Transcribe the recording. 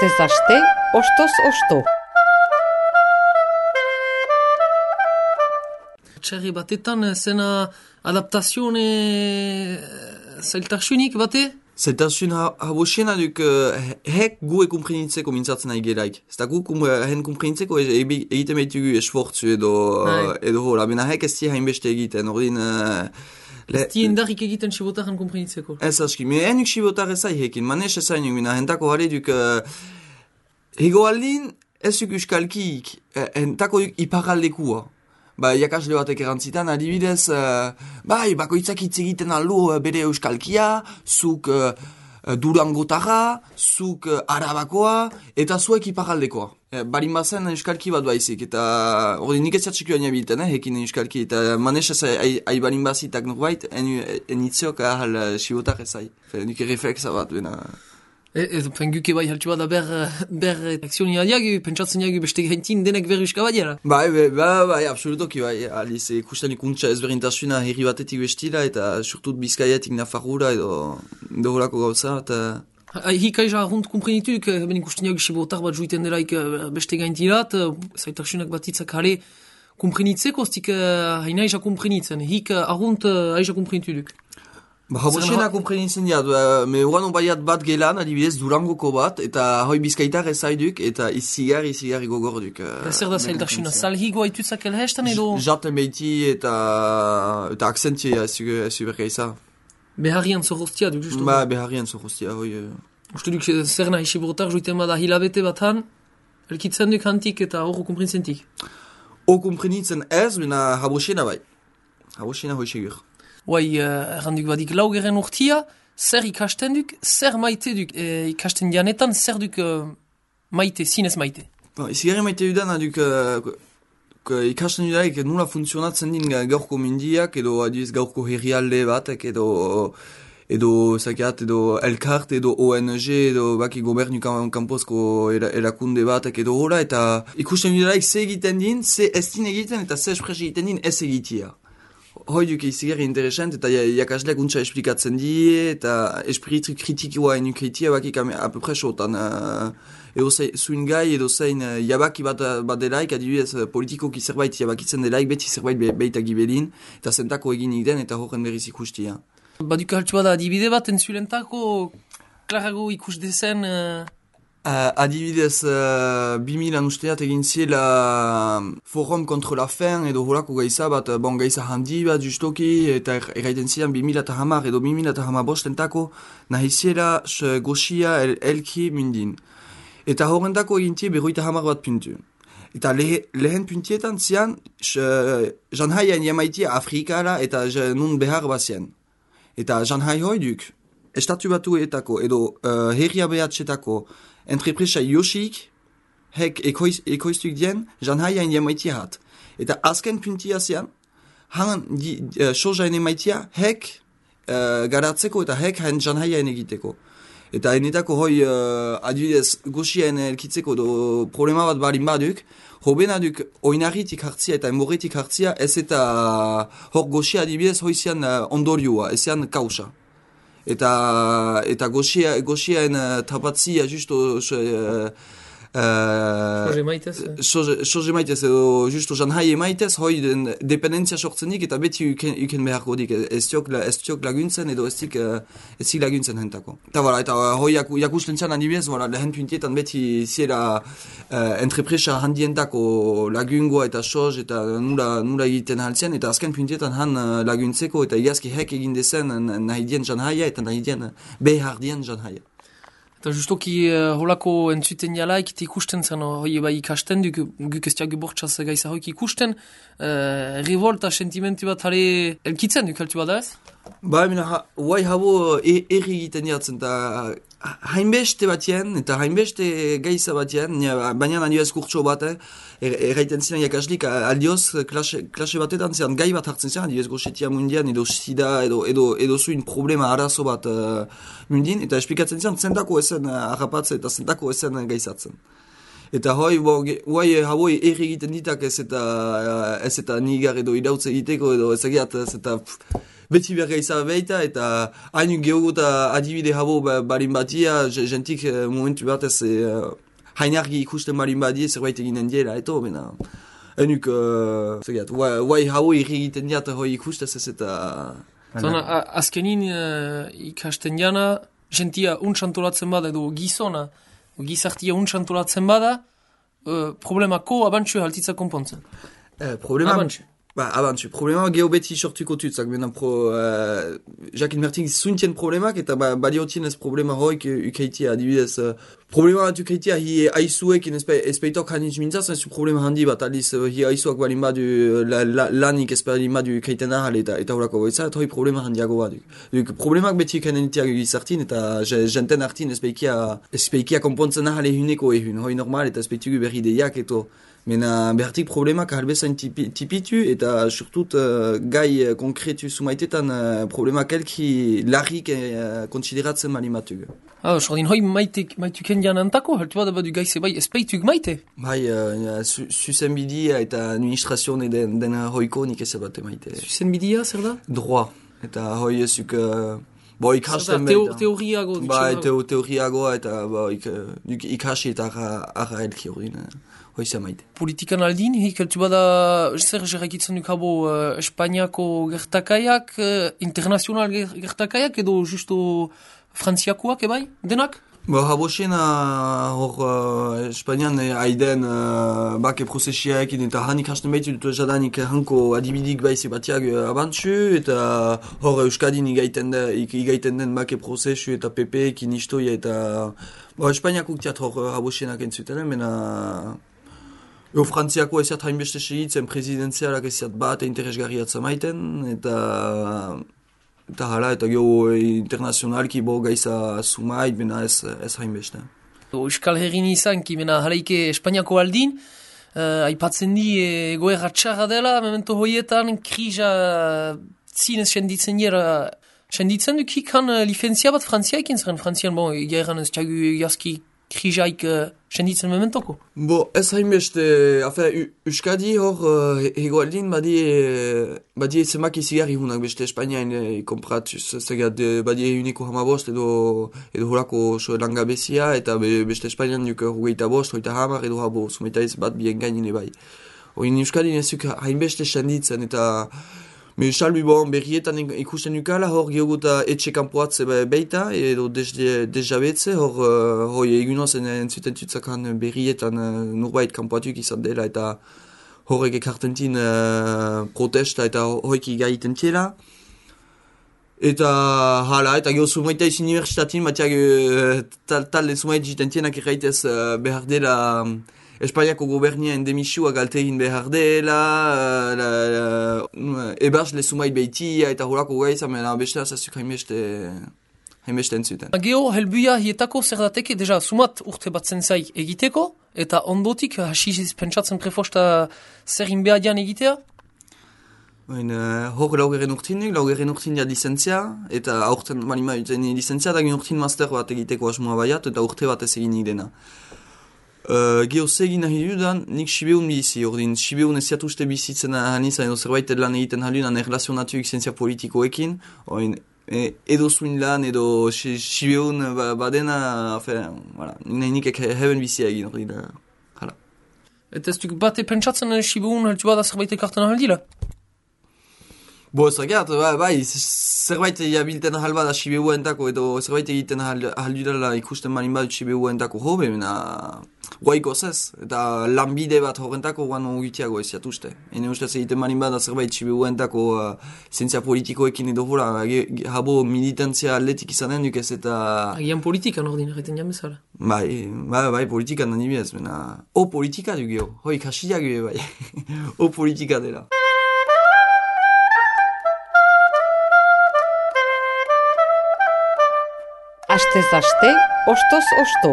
Astez aste, ostoz osto. Txerri batetan zena adaptazione zailtasunik bate? Zailtasun habosiena duk hek gu komprenitzeko mintzatzen nahi gelaik. Ez da gu hen komprenitzeko egiten behitugu esfortzu edo hola. Bena hek ez di hainbeste egiten. Ordin... Ez di indarrik egiten sibotarren komprenitzeko? Ez aski. Me henuk sibotar ezai hekin. Manes ezai nuk. Bena hentako hale duk... Ego aldin ez duk euskalkik. Hentako duk iparaldekua. Jakasle batek erantzitan, adibidez, bakoitzak hitz egiten aldu bere euskalkia, zuk Durangotarra, zuk Arabakoa, eta zuek iparaldekoa. Barin bazen euskalki bat baizik, eta hori nik ez jatxikioa nabilten, hekin euskalki, eta manes ez barin bazitak norbait, enitziok ahal sibotak ezai. Nik reflexa bat, bena... Guke bai haltsu bat da ber akzionia diagu, pentsatzen diagu beste gaintin denek berruska badiela. Bai, absolutoki bai. Aliz, ikusten ikuntza ezberdintasuna herri batetik bestila, eta surtut Bizkaiatik Nafarroa edo holako gauza, eta... Hika eza arrunt komprenituk, ben ikusten diagu sibotar bat juiten delaik beste gaintilat, zaitasunak batitzak hale komprenitzeko, ztik haina eza komprenitzen. Hika arrunt aiza komprenituk. Habosiena komprenitzen diat, me uran baiat bat gelan, adibidez Durangoko bat, eta hoi Bizkaitar ezaiduk, eta izigarri gogorduk. Zer da zailtasuna, salhigo haitutzak elhestan edo? Jaten behiti eta akzentia ez bergeiza. Beharrian zorrostia duk, justu? Beharrian zorrostia, hoi... Uste duk zer nahi sibotar joiten bada hilabete batan, elkitzen duk hantik eta horro komprenitzentik? Komprenitzen ez, bena habosiena bai. Habosiena hoi segur. Guai, erranduk badik laugeren urtia, zer ikasten duk, zer maite duk, ikasten dianetan, zer duk maite, zinez maite? Izigarri maite dudan, duk ikasten dudaik nula funtzionatzen din gaurko mindiak, edo adiz gaurko herrialde batek, edo zakeat, edo elkart, edo ONG, edo baki gobernu kanpozko erakunde batek, edo hola, eta ikusten dudaik ze egiten din, ze ez din egiten, eta ze espres egiten din ez egitia. Hoi duk izigarri interesant, eta jakasleak untsa esplikatzen die, eta espiritu kritikoa enukeitia bakik apepres otan. Edo zuin gai, edo zein jabaki bat delaik, adibidez politikoki zerbait jabakitzen delaik, beti zerbait beita gibelin, eta zentako eginik den, eta horren berriz ikustia. Baduka haltsu bada adibide bat, entzulentako klarago ikus dezen... Adibidez, 2000 usteat egin ziela forum contre la faim edo holako gaiza bat, gaiza handi bat justoki, eta erraiten ziren 2010 edo 2015 entako nahi ziela goxia elki mundin. Eta horrendako egin tie 50 bat puntu. Eta lehen puntietan zian, janhaian jamaitia Afrikara eta nun behar bat zian. Eta janhai hoi duk, estatu batuetako edo herria behatxetako entrepresa Yoshik, hek ekoiztuk dien, janhaiain jamaitia hat. Eta azken puntia zean, han sojaen emaitia, hek garatzeko eta hek hain janhaiain egiteko. Eta enetako hoi adibidez goxiaen elkitzeko problema bat barin baduk, hobena duk oinarritik hartzia eta enborretik hartzia, ez eta hor goxia adibidez hoi zean ondorioa, ez zean kausa. Eta goxiaen tapatzia justo soje maitez edo justo janhai maitez hoi den dependentzia sortzenik eta beti uken beharko dik ez tiok laguntzen edo ez zik laguntzen hentako. Eta hoi jakusten txan adibidez, lehen puntietan beti ziela entrepresa handientako lagungoa eta soz eta nula egiten haltzen, eta azken puntietan han laguntzeko eta iazki hek egin dezen nahi dien janhaia eta nahi dien behar dien janhaia. Eta justoki holako entzuten jalaik ikusten zen, hoi bai ikasten duk, guk ez diagu bortxaz gaiza hoik ikusten, revolta sentimentu bat hale elkitzen duk haltu bada ez? Huai habo erri egiten jatzen, eta hainbeste batien, eta hainbeste gaiza batien, baina adioez kurtso bat, erraiten ziren jakaslik, aldioz klase batetan ziren gai bat hartzen ziren, adioez goxetia mundian, edo sida, edo zuin problema arazo bat mundin, eta esplikatzen ziren zentako ezen harrapatze eta zentako ezen gaizatzen. Eta guai haboi erri egiten ditak ez eta nigar edo idautze egiteko edo ezagiat ez eta beti berga izan behita eta hain geoguta adibide habo barin batia, jentik momentu batez hain argi ikusten barin badie zerbait eginen diela, eto, bena. Enuk, guai habo erri egiten diat hoi ikustez ez eta... Zona, azkenin ikasten jana, jentia untsantolatzen bada edo gizona, gizartia untsantolatzen bada, problemako abantxue haltitza konpontzen. Abantxue. Abantxue. Problema geho beti sortuko tutzak, bena Jacques Mertin zuntien problemak eta badiotien ez problema hoik ukeitia, adibidez. Problema bat ukeitia hi aizuek espeitok hanitz mintzaz, ez problema handi bat, aliz hi aizuak balin badu lanik esperin badu ukeiten ahal eta horako goitza, eta hoi problema handiago bat. Problemak beti ukenentiak gizartin eta jenten artin espeikia konpontzen ahal ehuneko ehun, hoi normal eta espeitugu berri deiak eto. Mena behartik problemak halbezain tipitu eta surtut gai konkretu sumaitetan problemak elki larrik konsideratzen malimatugu. Sordin, hoi maituken janantako, haltu bat abadu gaize bai espeitug maite? Bai, zuzenbidia eta administrazione den hoiko nik ez bat maite. Zuzenbidia, zer da? Droit, eta hoi ezuk... ikasten teoriago. Bai, teoriagoa eta ikasi eta arra elki hori. Hoiza maite. Politikan aldin, hikeltu bada zer gerrakitzen duk habo Espainiako gertakaiak, internazional gertakaiak edo justo frantziakoak ebai, denak? Habo xena hor Espainian haiden bake prozesiaekin eta hanik hasten behitu dut jadanik hanko adibidik baize batiak abantzu eta hor Euskadin igaiten den bake prozesu eta PP ekin istoia eta Espainiako uktiat hor habo xenak entzutenen, mena... Frantziako eziat hainbeste segitzen presidenzialak eziat bat interesgarriatza maiten, eta hala, eta geho internazionalki bo gaiza sumait, bena ez hainbeste. Euskal Herrin izan, ki bena halaike Espainiako aldin, aipatzen di egoera txarra dela, memento hoietan, krisa zinez senditzen jera, senditzen dukik han lifenzia bat frantziaikin zeren frantzian, egeran ez txagu jaski krisaik senditzen mementoko? Ez hainbeste, Euskadi hor egoaldin badie zemak izigarri hunak beste Espainiain kompratuz, badie uniko hamabost edo horako langabezia eta beste Espainian duk hogeita bost, hogeita hamar edo habo sumeita ez bat bien gainine bai. Hoin Euskadi nezuk hainbeste senditzen eta salbi berrietan ikusten ukala, hor geoguta etxe kanpoatze beita, edo desjabetze, hor egunoz entzuten tutzakan berrietan nurbait kanpoatuk izan dela, eta horrek ekartentin protesta eta horrek igaiten tiela. Eta hala, eta geho sumaita izin universitatin, batiak talde sumait jiten tienak erraitez behar dela Espainiako gobernia endemisua galtegin behar dela, ebars lezumait behitia eta horako gaiza, mena beste azazuk hainbeste entzuten. Geho, helbuia hietako zer dateke, deja sumat urte batzen zai egiteko, eta ondotik hasiz pentsatzen prefosta zer inbeadian egitea? Hor laugeren urtin ja licentzia, eta aurten manima licentzia, da gin urtin master bat egiteko asmoa baiat, eta urte bat ez egin idena. Geho zegin nahi dudan, nik Sibeun bizi, ordin Sibeun ez ziatuste bizitzen hanizan edo zerbait lan egiten halunan erlazionatuik zientzia politikoekin, edo zuin lan, edo Sibeun badena, nik heben bizia egin, ordin, hala. Eta ez duk bate pentsatzen Sibeun haltu bada zerbait ekartan ahaldila? Zergat, zerbait jabilten ahal bada Sibeuen-tako, edo zerbait egiten ahaldudala ikusten marin badut Sibeuen-tako hobe, mena guaiko zez, eta lanbide bat horrentako guan ogitiago ez jatuzte. Ene ustez egiten marin bada zerbait Sibeuen-tako zientzia politikoekin edo hola, habo militantzia atletik izanen duk ez eta... Agian politikan ordin erreten jamezala. Bai, politikan nani bez, mena... politika du geho, hoi kasiak bai, politika dela. Astez aste, ostoz osto.